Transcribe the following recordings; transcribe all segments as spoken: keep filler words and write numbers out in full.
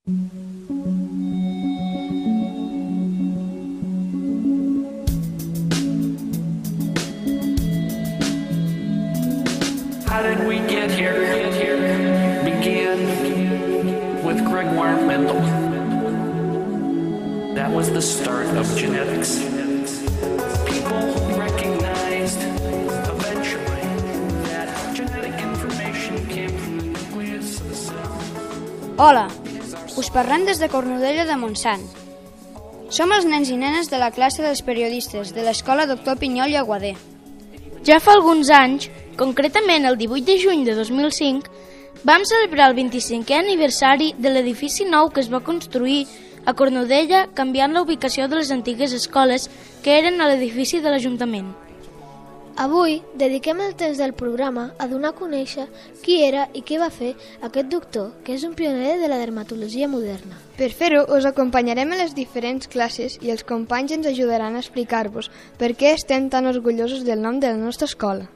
How did we get here? Began with Gregor Mendel. That was the start of genetics. People recognized eventually that genetic information came from the nucleus of the cell. Hola, us parlem des de Cornudella de Montsant. Som els nens i nenes de la classe dels periodistes de l'Escola Doctor Pinyol i Aguadé. Ja fa alguns anys, concretament el divuit de juny de dos mil cinc, vam celebrar el vint-i-cinquè aniversari de l'edifici nou que es va construir a Cornudella, canviant la ubicació de les antigues escoles que eren a l'edifici de l'Ajuntament. Avui dediquem el temps del programa a donar a conèixer qui era i què va fer aquest doctor, que és un pioner de la dermatologia moderna. Per fer-ho, us acompanyarem a les diferents classes i els companys ens ajudaran a explicar-vos per què estem tan orgullosos del nom de la nostra escola.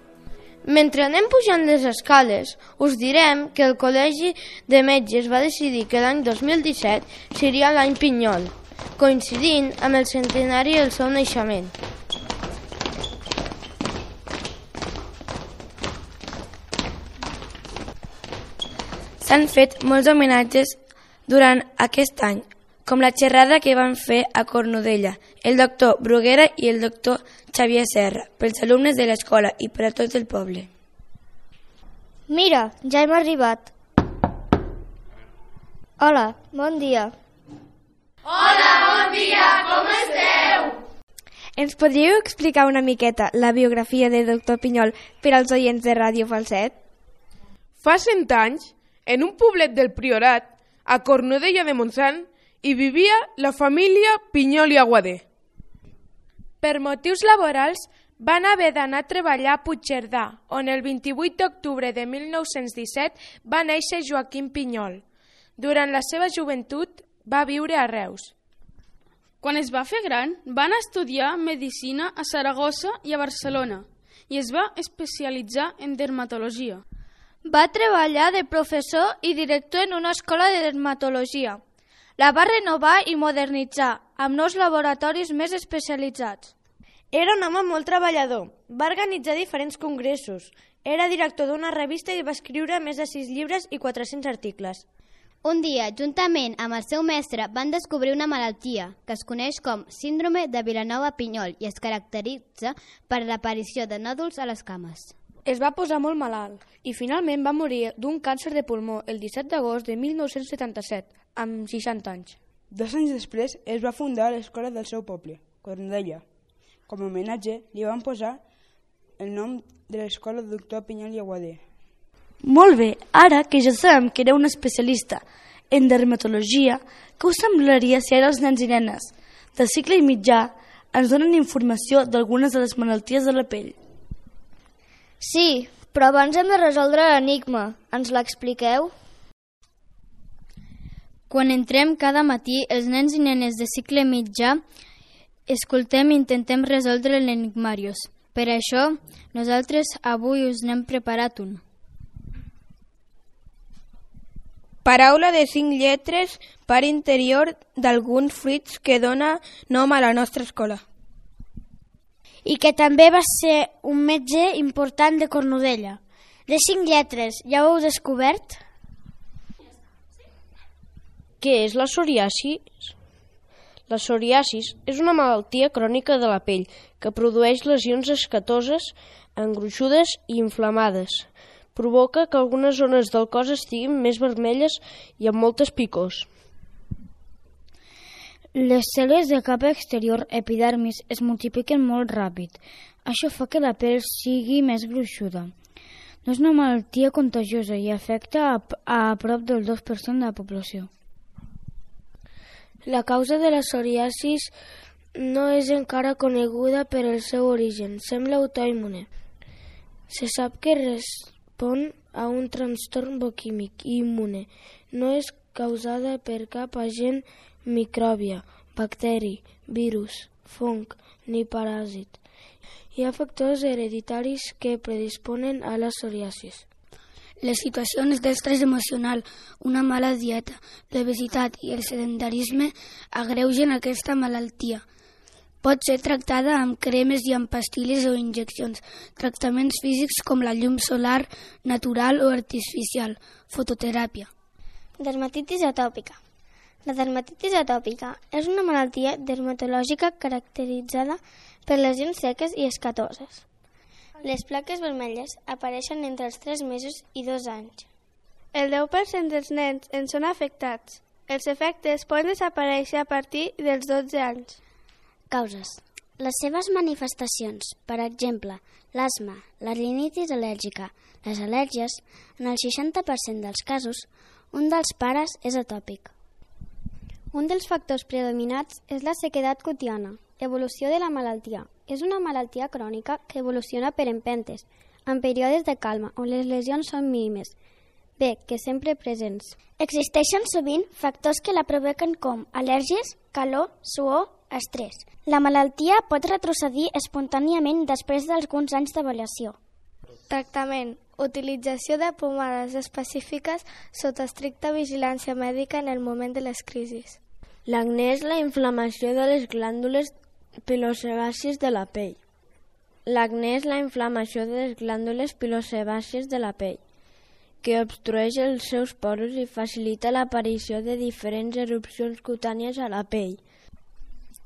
Mentre anem pujant les escales, us direm que el Col·legi de Metges va decidir que l'any dos mil disset seria l'any Pinyol, coincidint amb el centenari del seu naixement. S'han fet molts homenatges durant aquest any, com la xerrada que van fer a Cornudella, el doctor Bruguera i el doctor Xavier Serra, pels alumnes de l'escola i per a tot el poble. Mira, ja hem arribat. Hola, bon dia. Hola, bon dia, com esteu? Ens podríeu explicar una miqueta la biografia de doctor Pinyol per als oients de Ràdio Falset? Fa cent anys, en un poblet del Priorat, a Cornudella de Montsant, hi vivia la família Pinyol i Aguadé. Per motius laborals, van haver d'anar a treballar a Puigcerdà, on el vint-i-vuit d'octubre de mil nou-cents disset va néixer Joaquim Pinyol. Durant la seva joventut va viure a Reus. Quan es va fer gran, va anar a estudiar Medicina a Saragossa i a Barcelona i es va especialitzar en dermatologia. Va treballar de professor i director en una escola de dermatologia. La va renovar i modernitzar, amb nous laboratoris més especialitzats. Era un home molt treballador. Va organitzar diferents congressos. Era director d'una revista i va escriure més de sis llibres i quatre-cents articles. Un dia, juntament amb el seu mestre, van descobrir una malaltia que es coneix com síndrome de Vilanova-Pinyol i es caracteritza per l'aparició de nòduls a les cames. Es va posar molt malalt i finalment va morir d'un càncer de pulmó el disset d'agost de mil nou-cents setanta-set, amb seixanta anys. Dos anys després es va fundar l'escola del seu poble, Cornudella. Com a homenatge li van posar el nom de l'escola doctor Pinyol i Aguadé. Molt bé, ara que ja sabem que era un especialista en dermatologia, què us semblaria si ara els nens i nenes de cicle i mitjà ens donen informació d'algunes de les malalties de la pell? Sí, però abans hem de resoldre l'enigma. Ens l'expliqueu? Quan entrem cada matí, els nens i nenes de cicle mitjà escoltem i intentem resoldre l'enigmàrius. Per això, nosaltres avui us n'hem preparat un. Paraula de cinc lletres, part interior d'alguns fruits que dona nom a la nostra escola. I que també va ser un metge important de Cornudella. De cinc lletres, ja ho heu descobert? Què és la psoriasis? La psoriasis és una malaltia crònica de la pell que produeix lesions escatoses, engruixudes i inflamades. Provoca que algunes zones del cos estiguin més vermelles i amb moltes picors. Les cèl·lules de capa exterior, epidermis, es multipliquen molt ràpid. Això fa que la pell sigui més gruixuda. No és una malaltia contagiosa i afecta a, a prop del dos per cent de la població. La causa de la psoriasis no és encara coneguda per el seu origen. Sembla autoimmune. Se sap que respon a un trastorn bioquímic i immune. No és causada per cap agent micròbia, bacteri, virus, fong ni paràsit. Hi ha factors hereditaris que predisponen a la psoriasis. Les situacions d'estrès emocional, una mala dieta, l'obesitat i el sedentarisme agreugen aquesta malaltia. Pot ser tractada amb cremes i amb pastilles o injeccions, tractaments físics com la llum solar, natural o artificial, fototeràpia. Dermatitis atòpica. La dermatitis atòpica és una malaltia dermatològica caracteritzada per lesions seques i escatoses. Les plaques vermelles apareixen entre els tres mesos i dos anys. El deu per cent dels nens en són afectats. Els efectes poden desaparèixer a partir dels dotze anys. Causes. Les seves manifestacions, per exemple, l'asma, la rinitis al·lèrgica, les al·lèrgies, en el seixanta per cent dels casos, un dels pares és atòpic. Un dels factors predominants és la sequedat cutiana, evolució de la malaltia. És una malaltia crònica que evoluciona per empentes, en períodes de calma, on les lesions són mínimes, bé, que sempre presents. Existeixen sovint factors que la provoquen com al·lèrgies, calor, suor, estrès. La malaltia pot retrocedir espontàniament després d'alguns anys d'avaluació. Tractament. Utilització de pomades específiques sota estricta vigilància mèdica en el moment de les crisis. L'acné és la inflamació de les glàndules pilosebàcies de la pell. L'acné és la inflamació de les glàndules pilosebàcies de la pell, que obstrueix els seus poros i facilita l'aparició de diferents erupcions cutànies a la pell.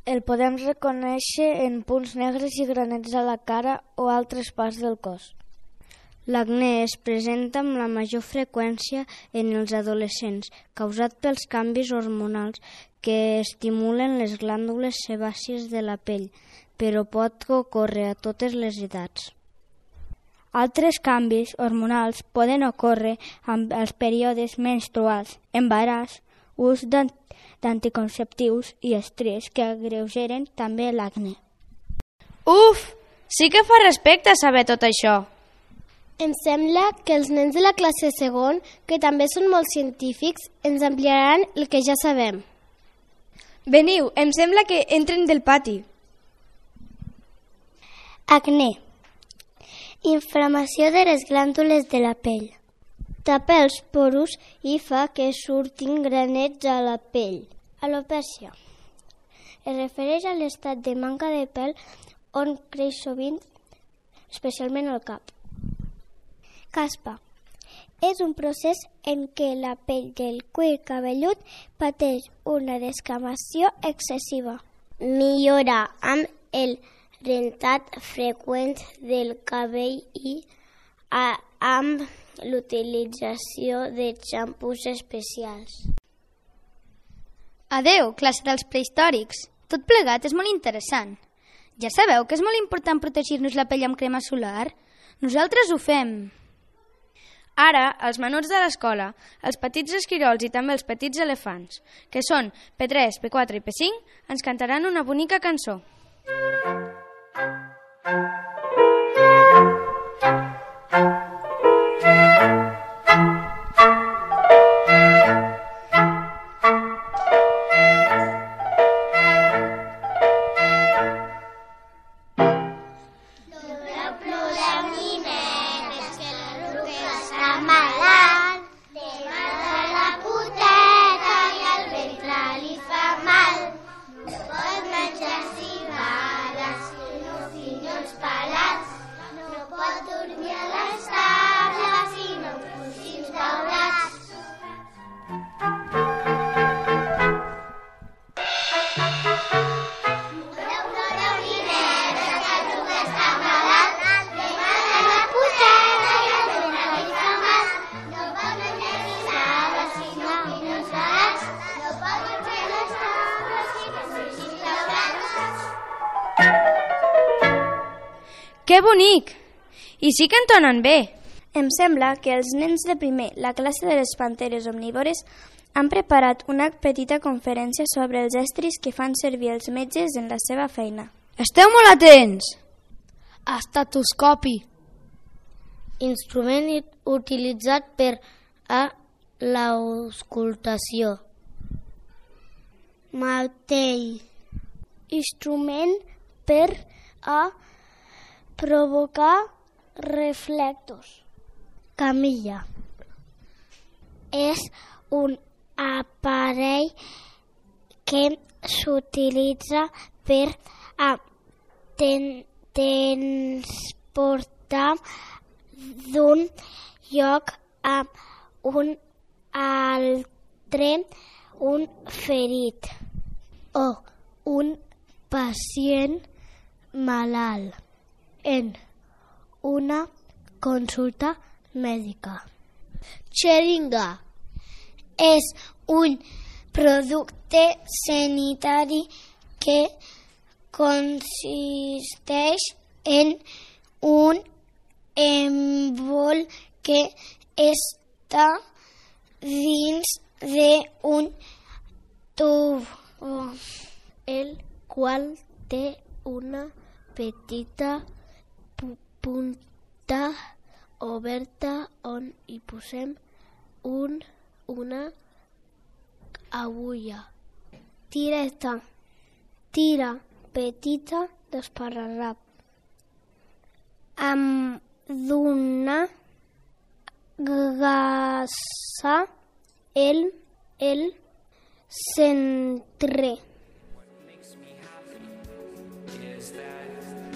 El podem reconèixer en punts negres i granets a la cara o altres parts del cos. L'acné es presenta amb la major freqüència en els adolescents, causat pels canvis hormonals que estimulen les glàndules sebàcies de la pell, però pot ocórrer a totes les edats. Altres canvis hormonals poden ocórrer amb els períodes menstruals, embaràs, ús d'anticonceptius i estrès que agreugeren també l'acné. Uf! Sí que fa respecte saber tot això. Em sembla que els nens de la classe segon, que també són molt científics, ens ampliaran el que ja sabem. Veniu, em sembla que entren del pati. Acné. Inflamació de les glàndules de la pell. Tapa els porus i fa que surtin granets a la pell. Alopècia. Es refereix a l'estat de manca de pèl on creix sovint, especialment al cap. Caspa. És un procés en què la pell del cuir cabellut pateix una descamació excessiva. Millora amb el rentat freqüent del cabell i a, amb l'utilització de xampús especials. Adeu, classe dels prehistòrics. Tot plegat és molt interessant. Ja sabeu que és molt important protegir-nos la pell amb crema solar? Nosaltres ho fem. Ara, els menuts de l'escola, els petits esquirols i també els petits elefants, que són P tres, P quatre i P cinc, ens cantaran una bonica cançó. Que bonic! I sí que entonen bé. Em sembla que els nens de primer, la classe de les panteres omnívores, han preparat una petita conferència sobre els estris que fan servir els metges en la seva feina. Esteu molt atents! Estetoscopi. Instrument utilitzat per a l'auscultació. Martell. Instrument per a provocar reflectors. Camilla. és un aparell que s'utilitza per a ten transportar d'un lloc a un altre un ferit o un pacient malalt en una consulta mèdica. Xeringa és un producte sanitari que consisteix en un embol que està dins d'un tub, el qual té una petita punta oberta on hi posem un, una agulla. Tireta, tira petita d'esparrarrap amb d'una gassa el, el centre.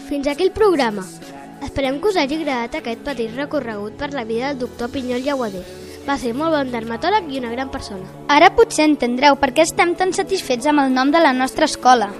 Fins aquí el programa. Esperem que us hagi agradat aquest petit recorregut per la vida del doctor Pinyol i Aguadé. Va ser molt bon dermatòleg i una gran persona. Ara potser entendreu per què estem tan satisfets amb el nom de la nostra escola.